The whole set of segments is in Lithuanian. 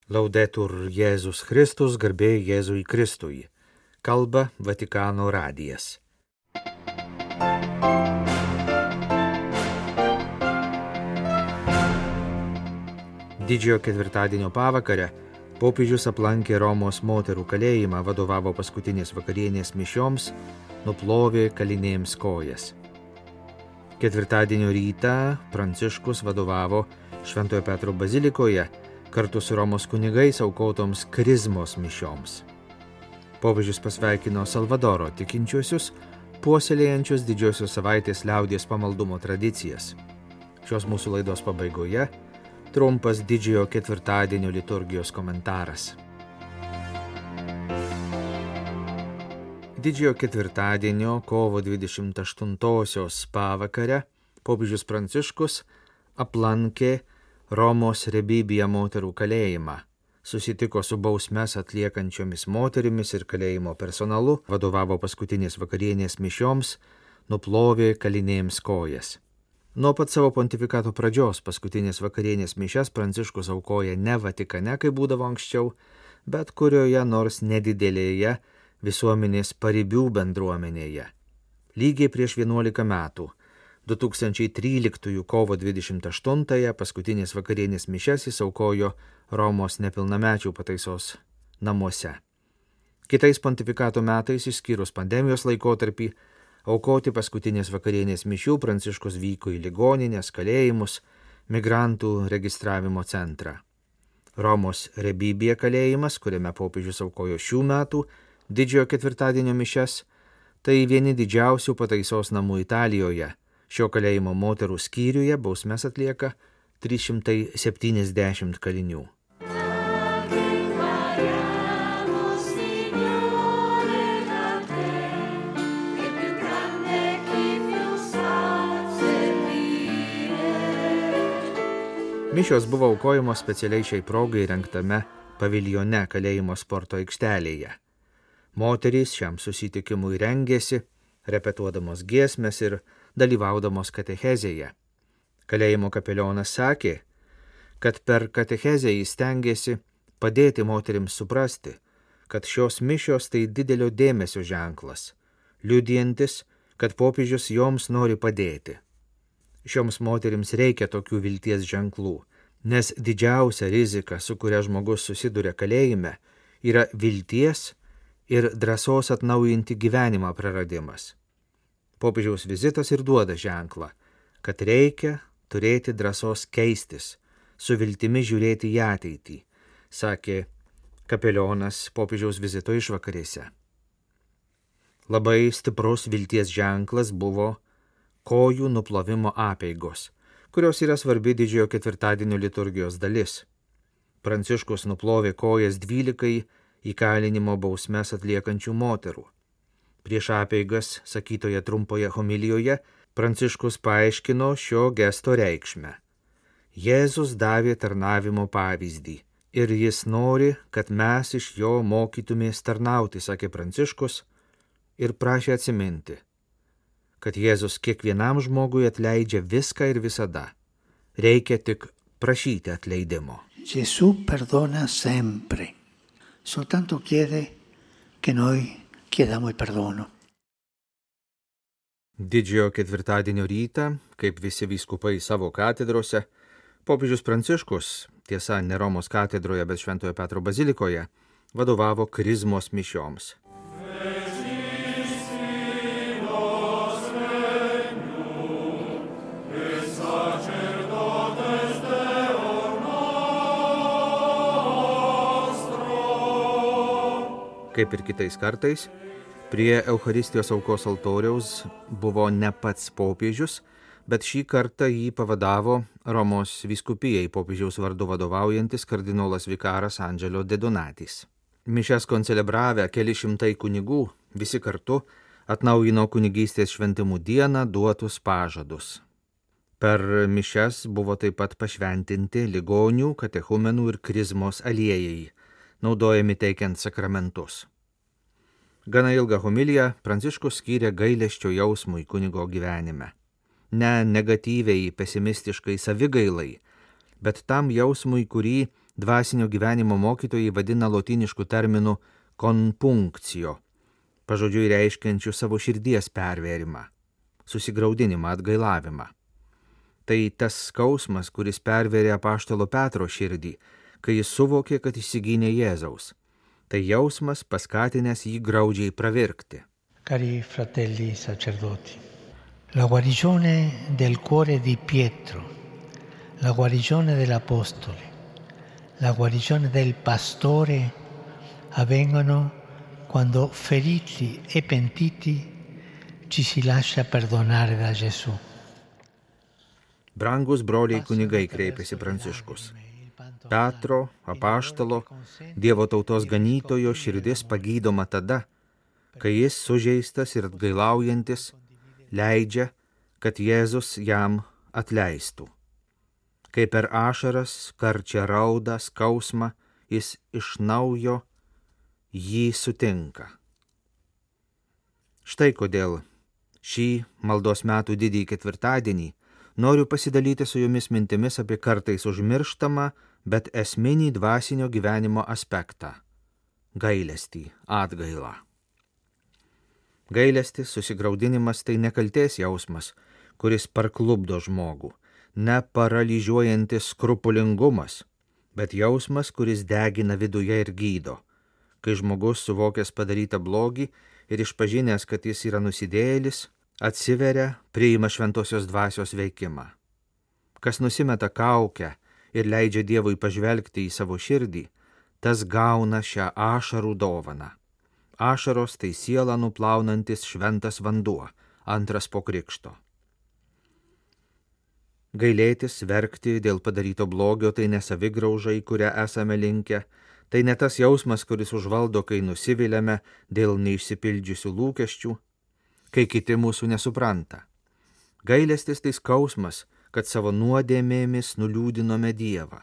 Laudetur Jėzus Kristus, garbė Jėzui Kristui. Kalba Vatikano radijas. Didžiojo ketvirtadienio pavakarę popiežius aplankė Romos moterų kalėjimą, vadovavo paskutinės vakarienės mišioms, nuplovė kalinėms kojas. Ketvirtadienio rytą Pranciškus vadovavo Šventojo Petro bazilikoje kartu su Romos kunigais aukotoms krizmos mišioms. Popiežius pasveikino Salvadoro tikinčiuosius, puoselėjančius didžiosios savaitės liaudies pamaldumo tradicijas. Šios mūsų laidos pabaigoje trumpas didžiojo ketvirtadienio liturgijos komentaras. Didžiojo ketvirtadienio kovo 28-osios pavakarę popiežius Pranciškus aplankė Romos Rebibija moterų kalėjimą, susitiko su bausmes atliekančiomis moterimis ir kalėjimo personalu, vadovavo paskutinės vakarienės mišioms, nuplovė kalinėms kojas. Nuo pat savo pontifikato pradžios paskutinės vakarienės mišias Pranciškus aukoja ne Vatikane, kaip būdavo anksčiau, bet kurioje nors nedidelėje visuomenės paribių bendruomenėje. Lygiai prieš 11 metų, 2013 kovo 28-ąją paskutinės vakarienės mišias jis aukojo Romos nepilnamečių pataisos namuose. Kitais pontifikato metais, išskyrus pandemijos laikotarpį, aukoti paskutinės vakarienės mišių Pranciškus vyko į ligonines, kalėjimus, migrantų registravimo centrą. Romos Rebibija kalėjimas, kuriame popiežius aukojo šių metų didžiojo ketvirtadienio mišias, tai vieni didžiausių pataisos namų Italijoje. Šio kalėjimo moterų skyriuje bausmes atlieka 370 kalinių. Mišios buvo aukojamos specialiai šiai progai rengtame paviljone kalėjimo sporto aikštelėje. Moterys šiam susitikimui rengėsi, repetuodamos giesmes ir dalyvaudamos katechezėje. Kalėjimo kapelionas sakė, kad per katechezę jis stengiasi padėti moterims suprasti, kad šios mišios tai didelio dėmesio ženklas, liudijantis, kad popiežius joms nori padėti. Šioms moterims reikia tokių vilties ženklų, nes didžiausia rizika, su kuria žmogus susiduria kalėjime, yra vilties ir drąsos atnaujinti gyvenimą praradimas. Popiežiaus vizitas ir duoda ženklą, kad reikia turėti drąsos keistis, su viltimi žiūrėti į ateitį, sakė kapelionas popiežiaus vizito išvakarėse. Labai stiprus vilties ženklas buvo kojų nuplovimo apeigos, kurios yra svarbi didžiojo ketvirtadienio liturgijos dalis. Pranciškus nuplovė kojas 12 įkalinimo bausmes atliekančių moterų. Prieš apeigas, sakytoje trumpoje homilijoje, Pranciškus paaiškino šio gesto reikšmę. Jėzus davė tarnavimo pavyzdį ir jis nori, kad mes iš jo mokytumės tarnauti, sakė Pranciškus, ir prašė atsiminti, kad Jėzus kiekvienam žmogui atleidžia viską ir visada. Reikia tik prašyti atleidimo. Gesù perdona sempre, soltanto chiede che noi chiediamo il perdono. Didžiojo ketvirtadienio rytą, kaip visi vyskupai savo katedrose, popiežius Pranciškus, tiesa ne Romos katedroje, bet Šventojo Petro bazilikoje, vadovavo krizmos mišioms. Kaip ir kitais kartais, prie Eucharistijos aukos altoriaus buvo ne pats popiežius, bet šį kartą jį pavadavo Romos vyskupijai popiežiaus vardu vadovaujantis kardinolas vikaras Angelo de Donatis. Mišias koncelebravę keli šimtai kunigų visi kartu atnaujino kunigystės šventimų dieną duotus pažadus. Per mišias buvo taip pat pašventinti ligonių, katechumenų ir krizmos aliejai, naudojami teikiant sakramentus. Gana ilgą homiliją Pranciškus skyrė gailesčio jausmui kunigo gyvenime. Ne negatyviai, pesimistiškai savigailai, bet tam jausmui, kurį dvasinio gyvenimo mokytojai vadina lotynišku terminu konpunkcijo, pažodžiui reiškiančiu savo širdies pervėrimą, susigraudinimą, atgailavimą. Tai tas skausmas, kuris pervėrė apaštalo Petro širdį, kai jis suvokė, kad išsigynė Jėzaus. Tai jausmas paskatinęs jį graudžiai pravirkti. Cari fratelli sacerdoti, la guarigione del cuore di Pietro, la guarigione dell'Apostole, la guarigione del pastore avvengono quando feriti e pentiti ci si lascia perdonare da Gesù. Brangus broliai kunigai, kreipėsi Pranciškus. Petro, apaštalo, Dievo tautos ganytojo širdis pagydoma tada, kai jis sužeistas ir atgailaujantis leidžia, kad Jėzus jam atleistų. Kai per ašaras, karčią raudą, skausmą jis iš naujo jį sutinka. Štai kodėl šį maldos metų didįjį ketvirtadienį noriu pasidalyti su jumis mintimis apie kartais užmirštamą, bet esminį dvasinio gyvenimo aspektą – gailestį, atgailą. Gailestis, susigraudinimas tai nekaltės jausmas, kuris parklubdo žmogų, ne paralyžiuojantis skrupulingumas, bet jausmas, kuris degina viduje ir gydo, kai žmogus suvokęs padarytą blogį ir išpažinęs, kad jis yra nusidėjėlis, atsiveria, priima šventosios dvasios veikimą. Kas nusimeta kaukę ir leidžia Dievui pažvelgti į savo širdį, tas gauna šią ašarų dovaną. Ašaros tai sielą nuplaunantis šventas vanduo, antras po krikšto. Gailėtis, verkti dėl padaryto blogio tai ne savigrauža, į kurią esame linkę, tai ne tas jausmas, kuris užvaldo, kai nusiviliame dėl neišsipildžiusių lūkesčių, kai kiti mūsų nesupranta. Gailestis tai skausmas, kad savo nuodėmėmis nuliūdinome Dievą.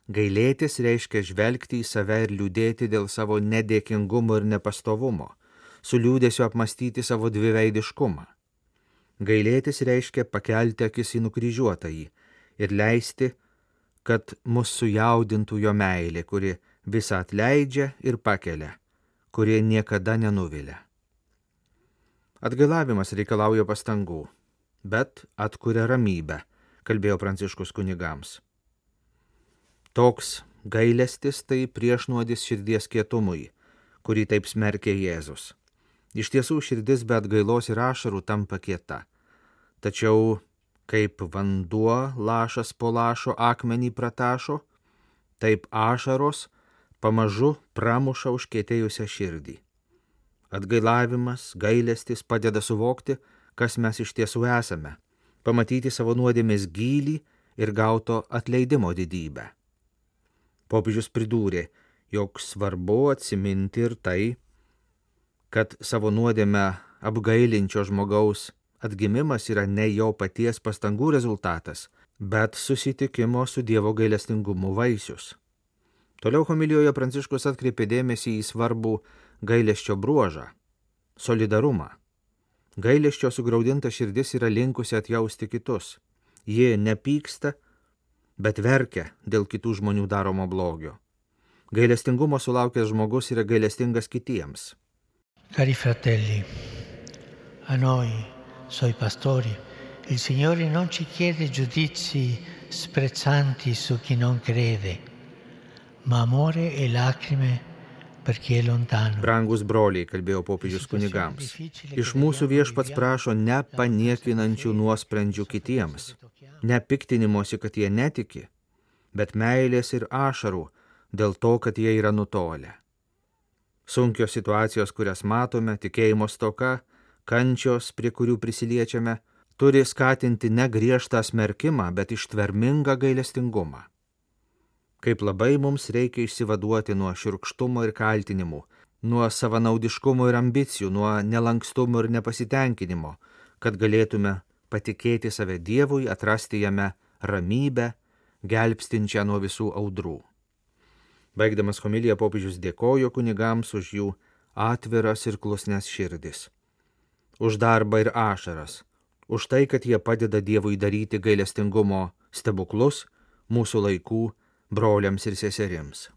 Gailėtis reiškia žvelgti į save ir liūdėti dėl savo nedėkingumo ir nepastovumo, su liūdėsiu apmastyti savo dviveidiškumą. Gailėtis reiškia pakelti akis į nukryžiuotąjį ir leisti, kad mus sujaudintų jo meilė, kuri visą atleidžia ir pakelia, kuri niekada nenuvilia. Atgailavimas reikalauja pastangų, bet atkuria ramybę, kalbėjo Pranciškus kunigams. Toks gailestis tai priešnuodis širdies kietumui, kurį taip smerkė Jėzus. Iš tiesų širdis be atgailos ir ašarų tampa kieta. Tačiau kaip vanduo lašas po lašo akmenį pratašo, taip ašaros pamažu pramuša užkietėjusią širdį. Atgailavimas, gailestis padeda suvokti, kas mes iš tiesų esame, pamatyti savo nuodėmės gylį ir gauto atleidimo didybę. Popiežius pridūrė, jog svarbu atsiminti ir tai, kad savo nuodėmę apgailinčio žmogaus atgimimas yra ne jo paties pastangų rezultatas, bet susitikimo su Dievo gailestingumu vaisius. Toliau homilijoje Pranciškus atkreipė dėmesį į svarbų gailesčio bruožą – solidarumą. Gailesčio sugraudinta širdis yra linkusi atjausti kitus. Ji nepyksta, bet verkia dėl kitų žmonių daromo blogio. Gailestingumo sulaukęs žmogus yra gailestingas kitiems. Cari fratelli, a noi, suoi pastori, il Signore non ci chiede giudizi sprezzanti su chi non crede, ma amore e lacrime per chi è lontano. Brangus broliai, kalbėjo popiežius kunigams, iš mūsų viešpats prašo ne paniekinančių nuosprendžių kitiems, ne piktinimosi, kad jie netiki, bet meilės ir ašarų dėl to, kad jie yra nutolę. Sunkios situacijos, kurias matome, tikėjimo stoka, kančios, prie kurių prisiliečiame, turi skatinti ne griežtą smerkimą, bet ištvermingą gailestingumą. Kaip labai mums reikia išsivaduoti nuo šiurkštumo ir kaltinimų, nuo savanaudiškumo ir ambicijų, nuo nelankstumo ir nepasitenkinimo, kad galėtume patikėti save Dievui, atrasti jame ramybę, gelbstinčią nuo visų audrų. Baigdamas homiliją popiežius dėkojo kunigams už jų atviras ir klusnes širdis, už darbą ir ašaras, už tai, kad jie padeda Dievui daryti gailestingumo stebuklus mūsų laikų broliams ir seserims.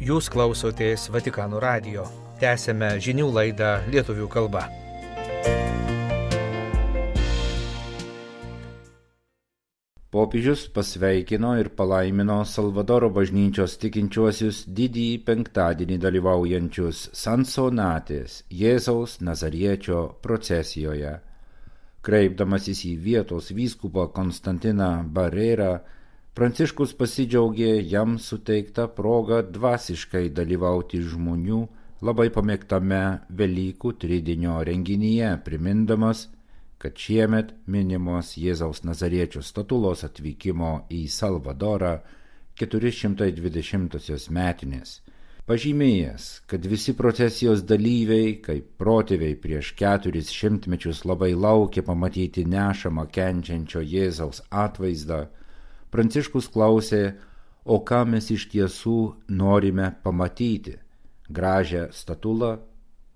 Jūs klausotės Vatikano radijo. Tęsėme žinių laidą lietuvių kalba. Popiežius pasveikino ir palaimino Salvadoro bažnyčios tikinčiuosius didįjį penktadienį dalyvaujančius Sansonatės Jėzaus Nazariečio procesijoje. Kreipdamasis į vietos vyskupą Konstantiną Barerą, Pranciškus pasidžiaugė jam suteikta proga dvasiškai dalyvauti žmonių labai pamėgtame Velykų tridienio renginyje, primindamas, kad šiemet minimos Jėzaus Nazariečio statulos atvykimo į Salvadorą 420-osios metinės. Pažymėjęs, kad visi procesijos dalyviai, kaip protėviai prieš 400 metus labai laukė pamatyti nešamą kenčiančio Jėzaus atvaizdą, Pranciškus klausė, o ką mes iš tiesų norime pamatyti – gražią statulą,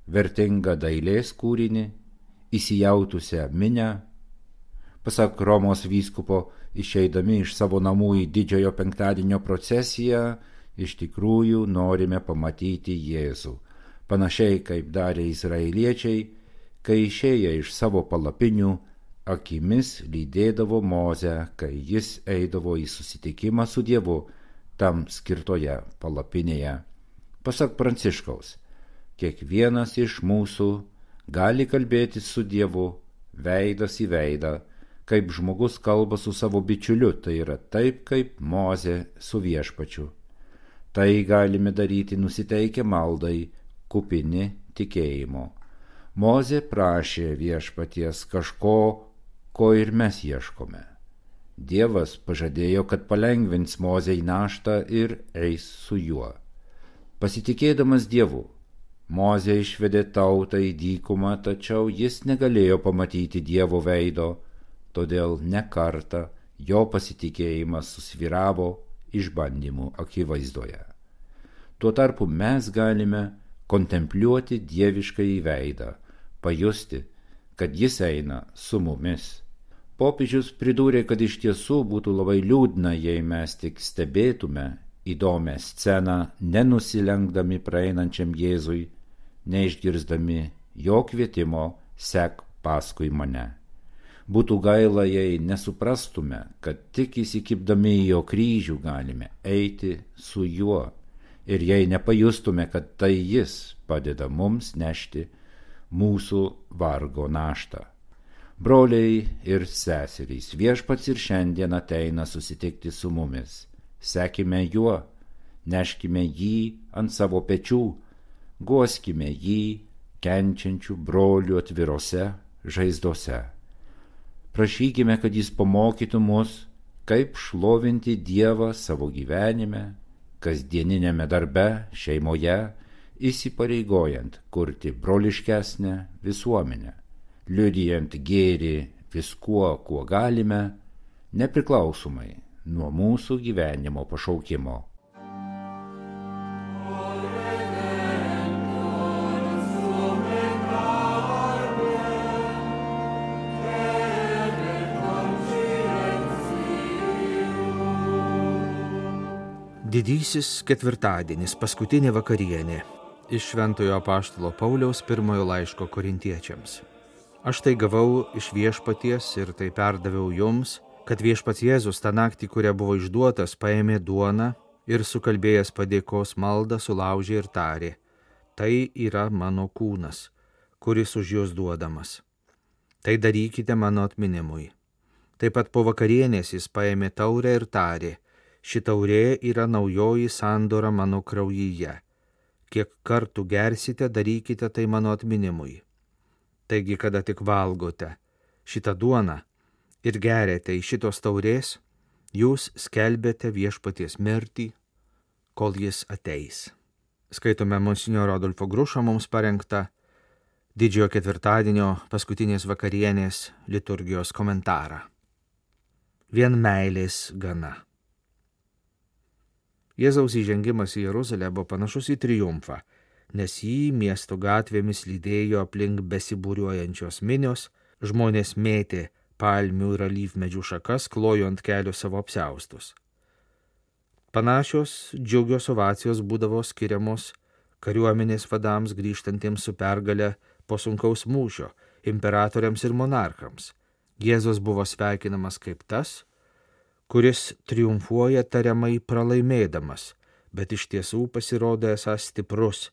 vertingą dailės kūrinį, įsijautusią minią. Pasak Romos vyskupo, išeidami iš savo namų į didžiojo penktadienio procesiją, iš tikrųjų norime pamatyti Jėzų, panašiai kaip darė izraeliečiai, kai išėję iš savo palapinių, akimis lydėdavo Mozę, kai jis eidavo į susitikimą su Dievu tam skirtoje palapinėje. Pasak Pranciškaus, kiekvienas iš mūsų gali kalbėti su Dievu veidas į veidą, kaip žmogus kalba su savo bičiuliu, tai yra taip, kaip Mozė su Viešpačiu. Tai galime daryti nusiteikę maldai, kupini tikėjimo. Mozė prašė Viešpaties kažko, ko ir mes ieškome. Dievas pažadėjo, kad palengvins Mozei naštą ir eis su juo. Pasitikėdamas Dievu, Mozė išvedė tautą į dykumą, tačiau jis negalėjo pamatyti Dievo veido, todėl ne kartą jo pasitikėjimas susvyravo išbandymų akivaizdoje. Tuo tarpu mes galime kontempliuoti dieviškąjį veidą, pajusti, kad jis eina su mumis. Popiežius pridūrė, kad iš tiesų būtų labai liūdna, jei mes tik stebėtume įdomią sceną, nenusilenkdami praeinančiam Jėzui, neišgirsdami jo kvietimo sek paskui mane. Būtų gaila, jei nesuprastume, kad tik įsikibdami į jo kryžių galime eiti su juo, ir jei nepajustume, kad tai jis padeda mums nešti mūsų vargo naštą. Broliai ir seserys, Viešpats ir šiandien ateina susitikti su mumis. Sekime juo, neškime jį ant savo pečių, guoskime jį kenčiančių brolių atvirose žaizdose. Prašykime, kad jis pamokytų mus, kaip šlovinti Dievą savo gyvenime, kasdieninėme darbe, šeimoje, įsipareigojant kurti broliškesnę visuomenę, liudijant gėrį viskuo, kuo galime, nepriklausomai nuo mūsų gyvenimo pašaukimo. Didysis ketvirtadienis, paskutinė vakarienė. Iš Šventojo apaštalo Pauliaus pirmojo laiško korintiečiams. Aš tai gavau iš Viešpaties ir tai perdaviau jums, kad Viešpats Jėzus tą naktį, kurią buvo išduotas, paėmė duoną ir sukalbėjęs padėkos maldą sulaužė ir tarė: tai yra mano kūnas, kuris už jūs duodamas. Tai darykite mano atminimui. Taip pat po vakarienės jis paėmė taurę ir tarė: ši taurė yra naujoji sandora mano kraujyje. Kiek kartų gersite, darykite tai mano atminimui. Taigi, kada tik valgote šitą duoną ir geriate iš šitos taurės, jūs skelbiate Viešpaties mirtį, kol jis ateis. Skaitome monsinjoro Adolfo Grušo mums parengtą didžiojo ketvirtadienio paskutinės vakarienės liturgijos komentarą. Vien meilės gana. Jėzaus įžengimas į Jeruzalę buvo panašus į triumfą, nes jį miesto gatvėmis lydėjo aplink besibūriuojančios minios, Žmonės mėtė palmių ir alyvmedžių šakas, klojo ant kelio savo apsiaustus. Panašios džiugios ovacijos būdavo skiriamos kariuomenės vadams grįžtantiems su pergale po sunkaus mūšio, imperatoriams ir monarchams. Jėzus buvo sveikinamas kaip tas, kuris triumfuoja tariamai pralaimėdamas, bet iš tiesų pasirodo esąs stiprus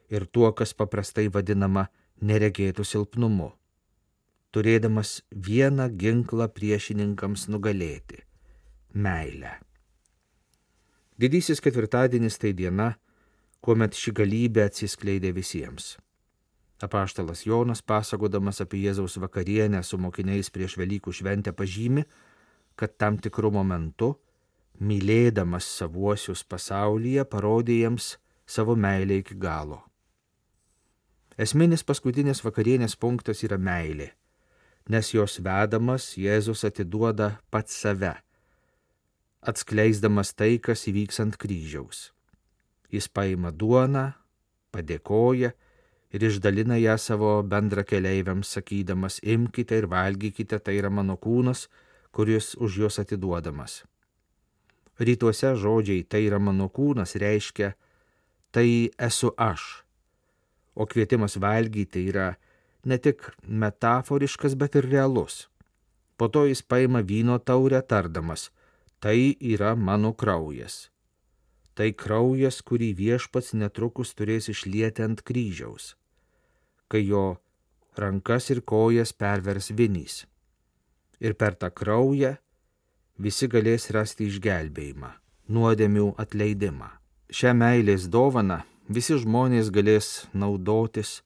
ir tuo, kas paprastai vadinama neregėtų silpnumu, turėdamas vieną ginklą priešininkams nugalėti – meilę. Didysis ketvirtadienis tai diena, kuomet ši galybė atsiskleidė visiems. Apaštalas Jonas, pasakodamas apie Jėzaus vakarienę su mokiniais prieš Velykų šventę, pažymi, kad tam tikru momentu, mylėdamas savuosius pasaulyje, parodė jiems savo meilę iki galo. Esminis paskutinės vakarienės punktas yra meilė, nes jos vedamas Jėzus atiduoda pats save, atskleisdamas tai, kas įvyks ant kryžiaus. Jis paima duoną, padėkoja ir išdalina ją savo bendrakeleiviams, sakydamas, imkite ir valgykite, tai yra mano kūnas, kuris už juos atiduodamas. Rytuose žodžiai tai yra mano kūnas reiškia tai esu aš, o kvietimas valgyti yra ne tik metaforiškas, bet ir realus. Po to jis paima vyno taurę tardamas, tai yra mano kraujas. Tai kraujas, kurį Viešpats netrukus turės išlieti ant kryžiaus, kai jo rankas ir kojas pervers vinys. Ir per tą kraują visi galės rasti išgelbėjimą, nuodėmių atleidimą. Šią meilės dovaną visi žmonės galės naudotis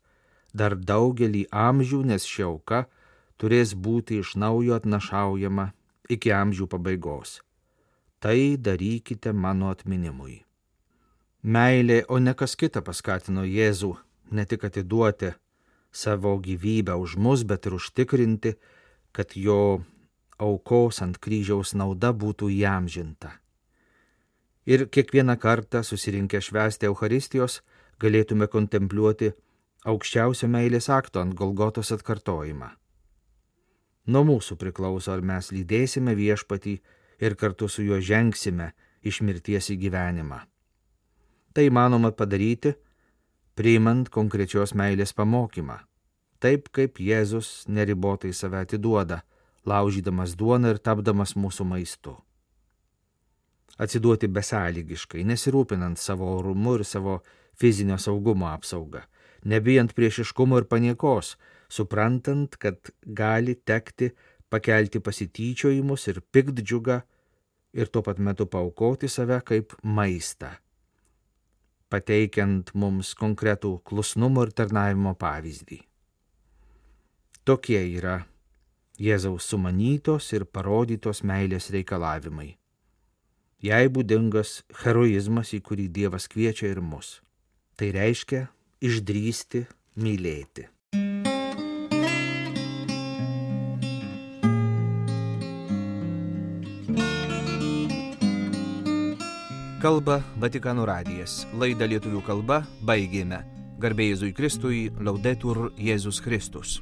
dar daugelį amžių, nes ši auka turės būti iš naujo atnašaujama iki amžių pabaigos. Tai darykite mano atminimui. Meilė, o ne kas kita, paskatino Jėzų ne tik atiduoti savo gyvybę už mus, bet ir užtikrinti, kad jo aukos ant kryžiaus nauda būtų įamžinta. Ir kiekvieną kartą susirinkę švęsti Eucharistijos galėtume kontempliuoti aukščiausio meilės akto ant Golgotos atkartojimą. Nuo mūsų priklauso, ar mes lydėsime Viešpatį ir kartu su juo žengsime iš mirties į gyvenimą. Tai įmanoma padaryti, priimant konkrečios meilės pamokymą, taip kaip Jėzus neribotai save atiduoda, laužydamas duoną ir tapdamas mūsų maistu. Atsiduoti besąlygiškai, nesirūpinant savo orumu ir savo fizinio saugumo apsaugą, nebijant priešiškumo ir paniekos, suprantant, kad gali tekti pakelti pasityčiojimus ir piktdžiugą ir tuo pat metu paaukoti save kaip maistą, pateikiant mums konkretų klusnumo ir tarnavimo pavyzdį. Tokie yra Jėzaus sumanytos ir parodytos meilės reikalavimai. Jai būdingas heroizmas, į kurį Dievas kviečia ir mus. Tai reiškia išdrįsti mylėti. Kalba Vatikano radijas. Laidą lietuvių kalba baigėme. Garbė Jėzui Kristui, Laudetur Jėzus Kristus.